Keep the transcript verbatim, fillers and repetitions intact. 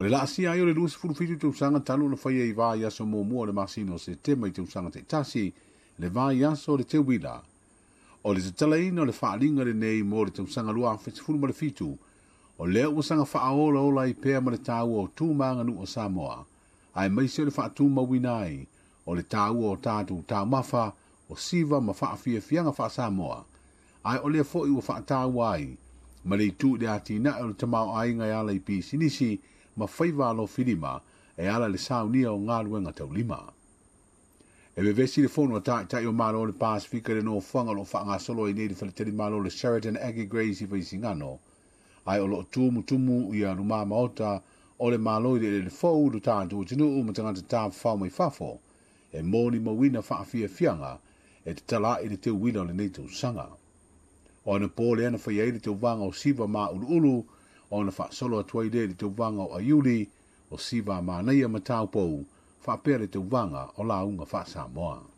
O le laasia ai o le luasefulu fitu tausaga talu ona faia i vaiaso muamua o le masina o Setema i tausaga taitasi le vaiaso o le teuila. O le tatalaina o le faaaliga lenei mo le tausaga luafe sefulu ma le fitu, o lea ua saga faaolaola ai pea ma le taua o tu ma aganuu o Samoa, aemaise o le faatumauina ai o le taua o tatou taumafa o siva ma faafiafiaga faa-Samoa, ae o lea foi ua faataua ai ma le itu i le atinae o le tamaoaiga e ala i pisinisi ma faiva alofilima e ala i le saunia o galuega taulima. E vevesi le fono a taitai o Malo o le Pasefika i le nofoaga o loo faagasolo ai nei le faletalimalo le Sheraton Aggie Grace i Vaisigano, ae o loo tumutumu ia lumā maota o le Malo i le eleele fou lo tatou atunuu ma tagata tafafao mai fafo e molimauina faafiafiaga e tatala'i le teuila o lenei tausaga. O anapo lea na fai ai le tauvaga o siva mauluulu ona faasolo atu ai lea i le tauvaga o aiuli o siva manaia ma taupou faapea le tauvaga o lauga faa-Samoa.